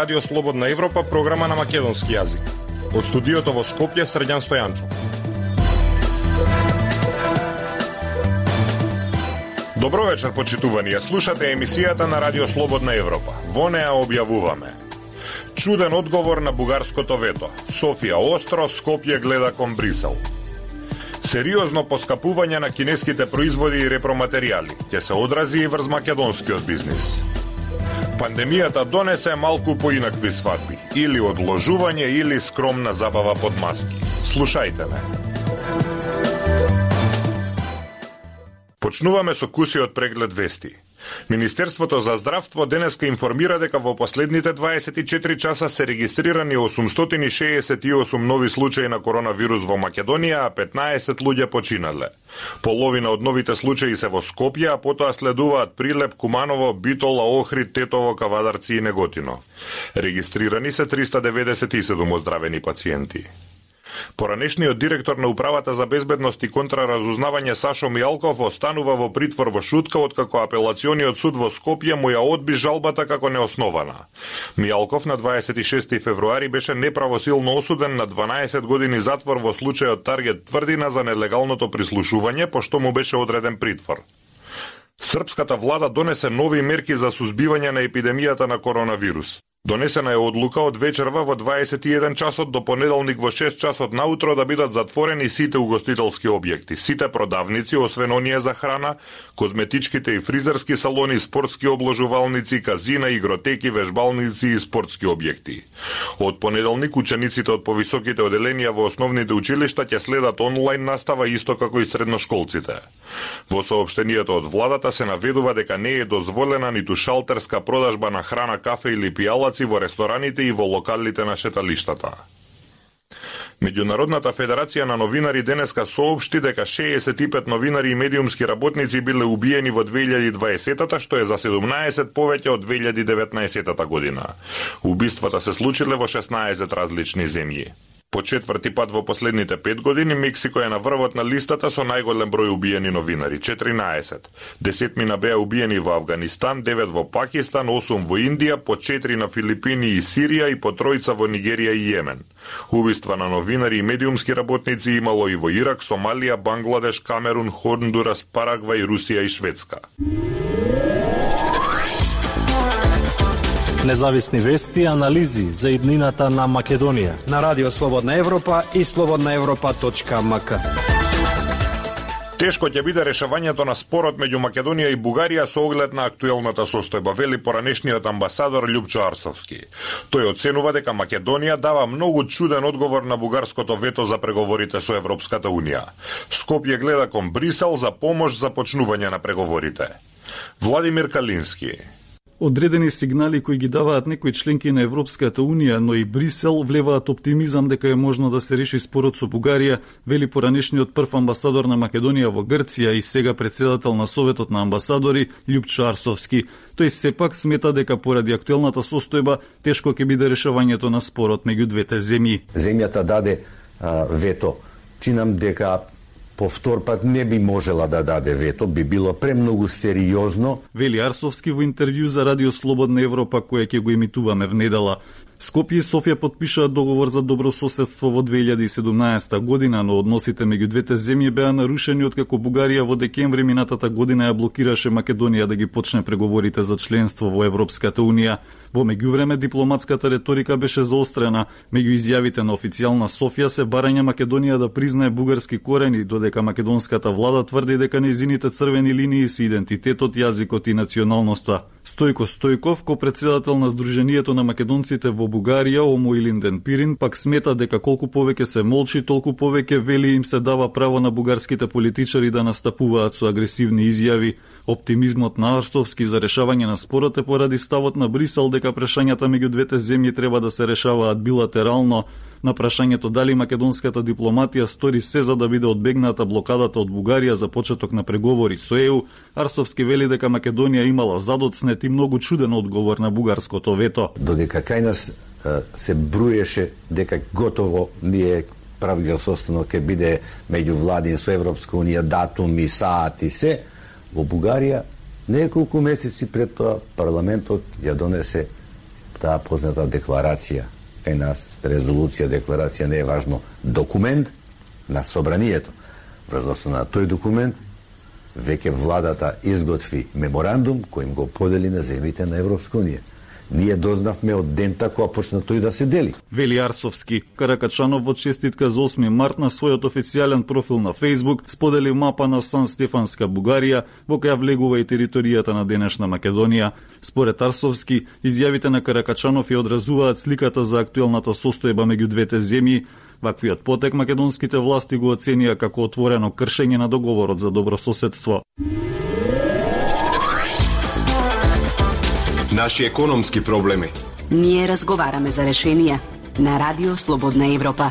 Радио Слободна Европа, програма на македонски јазик. Од студиото во Скопје, Срđan Стојанчов. Добро вечер, почитувани. Слушате емисијата на Радио Слободна Европа. Во неа објавуваме: чуден одговор на бугарското вето. Софија остро, Скопје гледа кон Брисел. Сериозно поскапување на кинеските производи и repроматеријали ќе се одрази и врз македонскиот бизнис. Пандемијата донесе малку поинакви свадби, или одложување, или скромна забава под маски. Слушајте ме. Почнуваме со кусиот преглед вести. Министерството за здравство денеска информира дека во последните 24 часа се регистрирани 868 нови случаи на коронавирус во Македонија, а 15 луѓе починале. Половина од новите случаи се во Скопје, а потоа следуваат Прилеп, Куманово, Битола, Охрид, Тетово, Кавадарци и Неготино. Регистрирани се 397 оздравени пациенти. Поранешниот директор на Управата за безбедност и контраразузнавање Сашо Мијалков останува во притвор во Шутка, откако апелациониот суд во Скопје му ја одби жалбата како неоснована. Мијалков на 26 февруари беше неправосилно осуден на 12 години затвор во случајот Таргет Тврдина за нелегалното прислушување, пошто му беше одреден притвор. Српската влада донесе нови мерки за сузбивање на епидемијата на коронавирус. Донесена е одлука од вечерва во 21 часот до понеделник во 6 часот наутро да бидат затворени сите угостителски објекти, сите продавници, освен оние за храна, козметичките и фризерски салони, спортски обложувалници, казина, игротеки, вежбалници и спортски објекти. Од понеделник учениците од повисоките оделенија во основните училишта ќе следат онлайн настава исто како и средношколците. Во соопштенијето од владата се наведува дека не е дозволена ниту шалтерска продажба на храна, кафе или пијалаци во рестораните и во локалите на шеталиштата. Меѓународната федерација на новинари денеска соопшти дека 65 новинари и медиумски работници биле убиени во 2020-та, што е за 17 повеќе од 2019 година. Убиствата се случиле во 16 различни земји. По четврти пат во последните 5 години Мексико е на врвот на листата со најголем број убиени новинари – 14. 10 беа убиени во Авганистан, 9 во Пакистан, 8 во Индија, по 4 на Филипини и Сирија и по 3 во Нигерија и Јемен. Убиства на новинари и медиумски работници имало и во Ирак, Сомалија, Бангладеш, Камерун, Хондурас, Парагвај, Русија и Шведска. Независни вести и анализи за иднината на Македонија на Радио Слободна Европа и slobodnaevropa.mk. Тешко ќе биде решавањето на спорот меѓу Македонија и Бугарија со оглед на актуелната состојба, вели поранешниот амбасадор Љупчо Арсовски. Тој оценува дека Македонија дава многу чуден одговор на бугарското вето за преговорите со Европската Унија. Скопје гледа кон Брисел за помош за почнување на преговорите. Владимир Калински. Одредени сигнали кои ги даваат некои членки на Европската Унија, но и Брисел, влеваат оптимизам дека е можно да се реши спорот со Бугарија, вели поранешниот прв амбасадор на Македонија во Грција и сега председател на Советот на амбасадори Љупчо Арсовски. Тој сепак смета дека поради актуелната состојба тешко ќе биде решавањето на спорот меѓу двете земји. Земјата даде вето. Чинам дека повтор пат не би можела да даде вето, би било премногу сериозно. Вели Арсовски во интервју за Радио Слободна Европа, која ќе го емитуваме в недела. Скопје и Софија подпишаа договор за добрососедство во 2017 година, но односите меѓу двете земји беа нарушени откако Бугарија во декември минатата година ја блокираше Македонија да ги почне преговорите за членство во Европската Унија. Во меѓувреме дипломатската реторика беше заострена. Меѓу изјавите на официјална Софија се барање Македонија да признае бугарски корени, додека македонската влада тврди дека нејзините црвени линии се идентитетот, јазикот и националноста. Стојко Стојков, ко-председател на Сдруженијето на македонците во Бугарија, Омо Илинден Пирин, пак смета дека колку повеќе се молчи, толку повеќе вели им се дава право на бугарските политичари да настапуваат со агресивни изјави. Оптимизмот на Арсовски за решавање на спорот е поради ставот на Брисел дека прашањата меѓу двете земји треба да се решаваат билатерално. На прашањето дали македонската дипломатија стори се за да биде одбегната блокадата од Бугарија за почеток на преговори со ЕУ, Арсовски вели дека Македонија имала задоцнет и многу чуден одговор на бугарското вето. Додека кај нас се бруеше дека готово ние правиот состанок ќе биде меѓу владин со Европска Унија, датуми, саати се, во Бугарија неколку месеци пред тоа парламентот ја донесе таа позната декларација, кај нас резолуција, декларација не е важно, документ на собранието. Врз основа на тој документ веќе владата изготви меморандум кој им го подели на земјите на Европска унија. Ние дознавме од дента кога почна тој да се дели. Вели Арсовски. Каракачанов во честитка за 8 март на својот официјален профил на Facebook сподели мапа на Сан Стефанска Бугарија, во која влегува и територијата на денешна Македонија. Според Арсовски, изјавите на Каракачанов ја одразуваат сликата за актуелната состојба меѓу двете земји. Ваквиот потек македонските власти го оценија како отворено кршење на договорот за добрососедство. Наши економски проблеми. Ние разговараме за решенија на Радио Слободна Европа.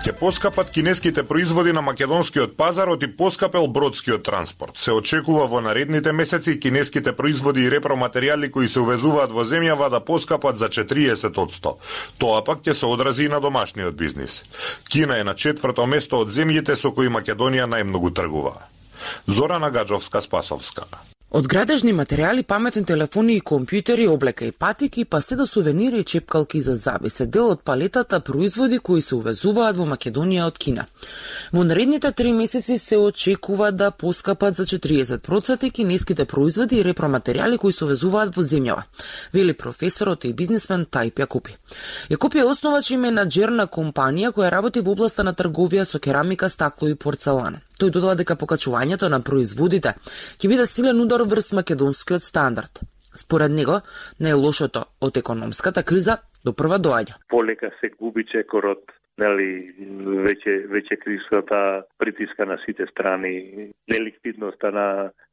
Ќе поскапат кинеските производи на македонскиот пазар и поскапел бродскиот транспорт. Се очекува во наредните месеци кинеските производи и репроматеријали кои се увезуваат во земјава да поскапат за 40%. Тоа пак ќе се одрази и на домашниот бизнис. Кина е на 4-то место од земјите со кои Македонија најмногу тргува. Зорана Гаджовска-Спасовска. Од градежни материјали, паметни телефони и компјутери, облека и патики, па се до сувенири и чепкалки за заби се дел од палетата производи кои се увезуваат во Македонија од Кина. Во наредните 3 месеци се очекува да поскапат за 40% кинеските производи и репроматеријали кои се увезуваат во земјава, вели професорот и бизнисмен Тајп Јакупи. Јакупи е основач и менаџер на компанија која работи во областа на трговија со керамика, стакло и порцелана. Тој додава дека покачувањето на производите ќе биде силен удар врз македонскиот стандард. Според него, најлошото од економската криза допрва доаѓа. Полека се губи чекорот, веќе кризата притиска на сите страни, неликвидноста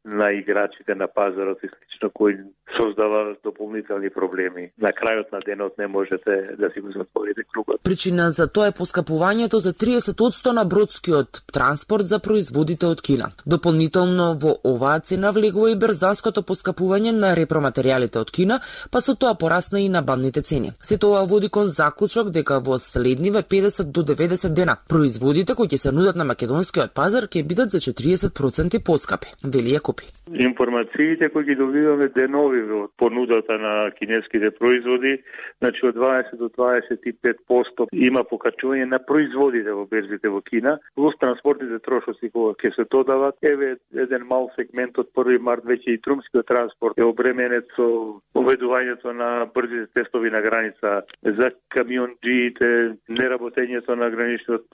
на играчите на пазарот и слично, кои создава дополнителни проблеми. На крајот на денот не можете да си го затворите кругот. Причина за тоа е поскапувањето за 30% на бродскиот транспорт за производите од Кина. Дополнително во оваа цена влегува и брзанското поскапување на репроматеријалите од Кина, па со тоа порасна и набавните цени. Се тоа води кон заклучок дека во следниве 50 до 90 дена производите кои ќе се нудат на македонскиот пазар ќе бидат за 40% поскапи, вели Јакупи. Информациите кои ги добиваме денови од понудата на кинеските производи, значи од 20 до 25% има покачување на производите во берзите во Кина, плюс транспортните трошоци кои ќе се додават. Еве еден мал сегмент од 1 март веќе и трумскиот транспорт е обременет со поведувањето на брзите тестови на граница за камионџиите, неработењето на граничниот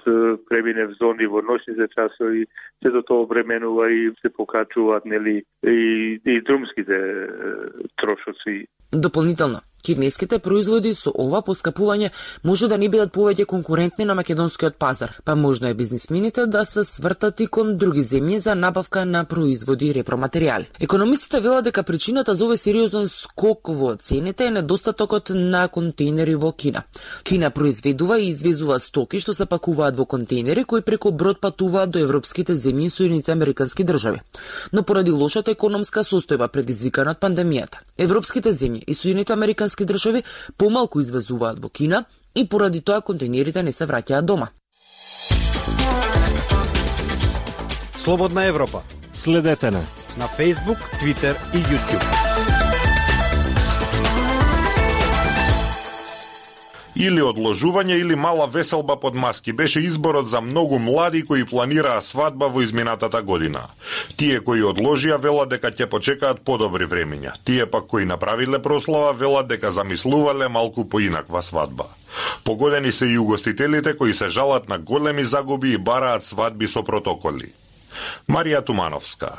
преминев зони во ноќните часови, се до тоа обременува и се покачуваат и трумските трошоци. Дополнително, кинеските производи со ова поскапување може да не бидат повеќе конкурентни на македонскиот пазар, па можно е бизнисмените да се свртат и кон други земји за набавка на производи и репроматеријали. Економистите велат дека причината за овој сериозен скок во цените е недостатокот на контейнери во Кина. Кина произведува и извезува стоки што се пакуваат во контейнери кои преку брод патуваат до европските земји и Соединетите Американски држави. Но поради лошата економска состојба предизвикана од пандемијата, европските земји и Соединетите Американски држави помалку извезуваат во Кина и поради тоа контейнерите не се враќаат дома. Слободна Европа. Следете на Facebook, Twitter и YouTube. Или одложување или мала веселба под маски беше изборот за многу млади кои планираа свадба во изминатата година. Тие кои одложија велат дека ќе почекаат подобри времиња. Тие пак кои направиле прослава велат дека замислувале малку поинаква свадба. Погодени се и угостителите кои се жалат на големи загуби и бараат свадби со протоколи. Марија Тумановска.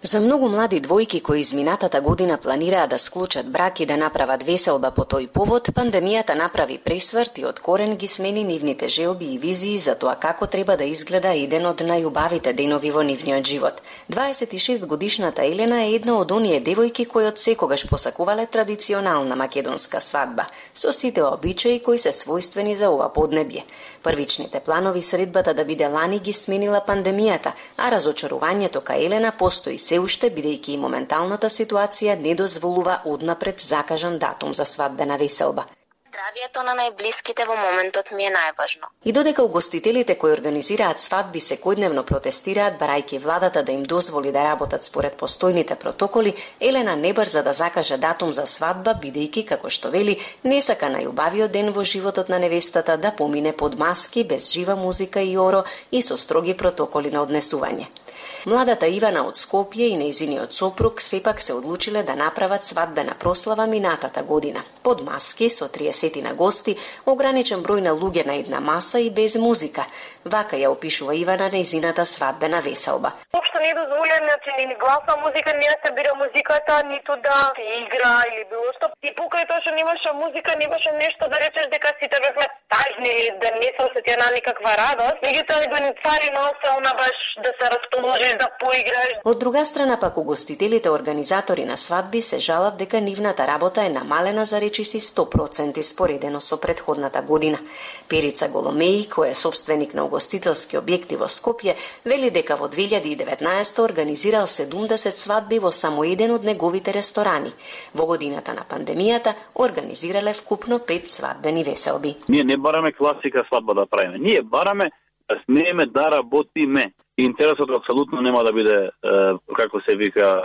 За многу млади двојки кои изминатата година планираа да склучат брак и да направат веселба по тој повод, пандемијата направи пресврт и од корен ги смени нивните желби и визии за тоа како треба да изгледа еден од најубавите денови во нивниот живот. 26 годишната Елена е една од оние девојки кои од секогаш посакувале традиционална македонска свадба, со сите обичаи кои се својствени за ова поднебје. Првичните планови средбата да биде лани ги сменила пандемијата, а разочарувањето кај Елена постои се уште, бидејќи и моменталната ситуација не дозволува однапред закажан датум за свадбена веселба. здравието на најблиските во моментот ми е најважно. И додека угостителите кои организираат свадби секојдневно протестираат барајќи владата да им дозволи да работат според постојните протоколи, Елена не брза да закаже датум за свадба, бидејќи, како што вели, не сака најубавиот ден во животот на невестата да помине под маски, без жива музика и оро и со строги протоколи на однесување. Младата Ивана од Скопје и нејзиниот сопруг сепак се одлучиле да направат свадбена прослава минатата година. Под маски, со 30 на гости, ограничен број на луѓе на една маса и без музика. Вака ја опишува Ивана нејзината свадбена веселба. Општо не е дозволено, ни гласна музика, не се бира музиката, ниту да се игра или било што. И покрај тоа што немаше музика, немаше нешто да речеш дека сите бевме тажни или да не се осетија на никаква радост. Меѓутоа го цари носа она баш да се расположиш, да поиграш. Од друга страна пак угостителите организатори на свадби се жалат дека нивната работа е намалена за речиси 100% споредено со претходната година. Перица Голомеи, кој е собственик на угостителски објекти во Скопје, вели дека во 2019 организирал 70 свадби во само еден од неговите ресторани. Во годината на пандемијата организирале вкупно 5 свадбени веселби. Ние не бараме класика свадба да правиме. Ние бараме да смееме да работиме. Интересот апсолутно нема да биде, како се вика,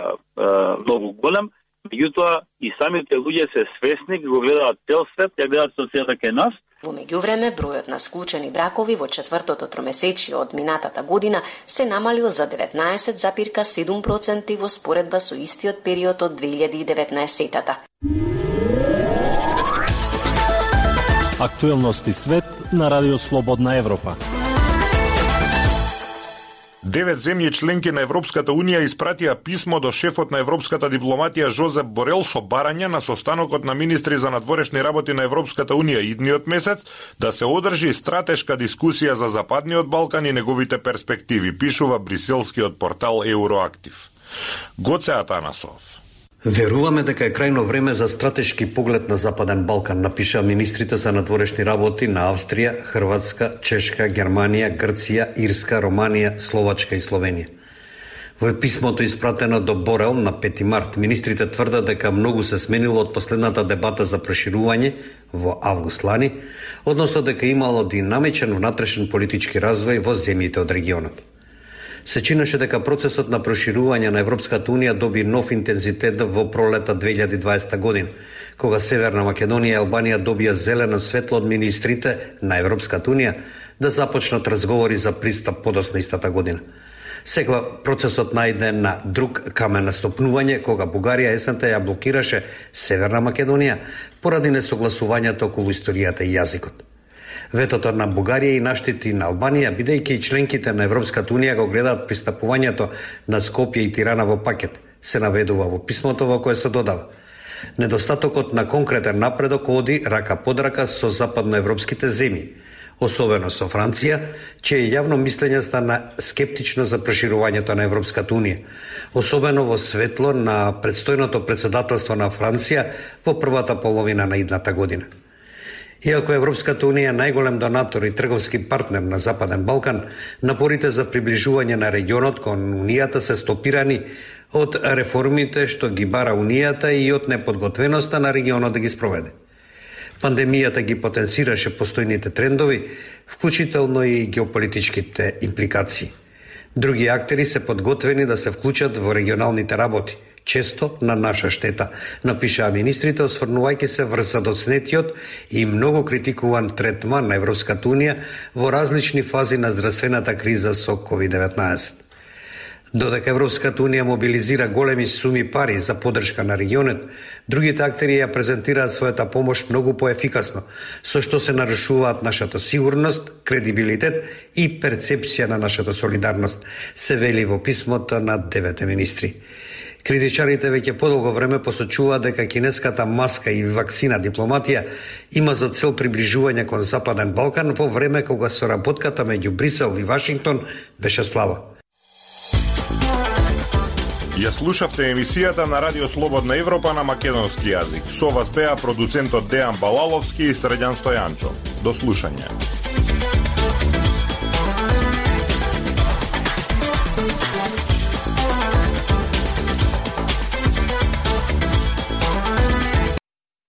многу голем. Меѓутоа, и самите луѓе се свесни, го гледаат цел свет, ја гледаат социјата кај нас. Во меѓувреме, бројот на склучени бракови во четвртото тромесечие од минатата година се намалил за 19,7% во споредба со истиот период од 2019-тата. Актуелности свет на Радио Слободна Европа. 9 земји членки на Европската Унија испратија писмо до шефот на европската дипломатија Жозеп Борел со барање на состанокот на министри за надворешни работи на Европската Унија идниот месец да се одржи стратешка дискусија за Западниот Балкан и неговите перспективи, пишува бриселскиот портал Евроактив. Гоце Атанасов. Веруваме дека е крајно време за стратешки поглед на Западен Балкан, напиша министрите за надворешни работи на Австрија, Хрватска, Чешка, Германија, Грција, Ирска, Романија, Словачка и Словенија. Во писмото испратено до Борел на 5 март, министрите тврдат дека многу се сменило од последната дебата за проширување во август лани, односно дека имало динамичен внатрешен политички развој во земјите од регионот. Се чинеше дека процесот на проширување на Европската Унија доби нов интензитет во пролета 2020 година, кога Северна Македонија и Албанија добија зелено светло од министрите на Европската Унија да започнат разговори за пристап подоцна истата година. Сега процесот најде на друг камен на стопнување, кога Бугарија есента ја блокираше Северна Македонија поради несогласувањето околу историјата и јазикот. Ветото на Бугарија и наштити на Албанија, бидејќи и членките на Европската Унија го гледаат пристапувањето на Скопје и Тирана во пакет, се наведува во писмото во кое се додава. Недостатокот на конкретен напредок оди рака под рака со западноевропските земји, особено со Франција, чие јавно мислење стана скептично за проширувањето на Европската Унија, особено во светло на предстојното председателство на Франција во првата половина на идната година. Иако Европската Унија е најголем донатор и трговски партнер на Западен Балкан, напорите за приближување на регионот кон Унијата се стопирани од реформите што ги бара Унијата и од неподготвеноста на регионот да ги спроведе. Пандемијата ги потенцираше постојните трендови, вклучително и геополитичките импликации. Други актери се подготвени да се вклучат во регионалните работи, често на наша штета, напишаа министрите, осврнувајќи се врз задоцнетиот и многу критикуван третман на Европската Унија во различни фази на здравствената криза со COVID-19. Додека Европската Унија мобилизира големи суми пари за поддршка на регионот, другите актери ја презентираат својата помош многу поефикасно, со што се нарушуваат нашата сигурност, кредибилитет и перцепција на нашата солидарност, се вели во писмото на 9 министри. Критичарите веќе подолго време посочуваат дека кинеската маска и вакцина дипломатија има за цел приближување кон Западен Балкан во време кога соработката меѓу Брисел и Вашингтон беше слаба. Ја слушавте емисијата на Радио Слободна Европа на македонски јазик. Со вас беа продуцентот Дејан Балаловски и Средјан Стојанчо. До слушање.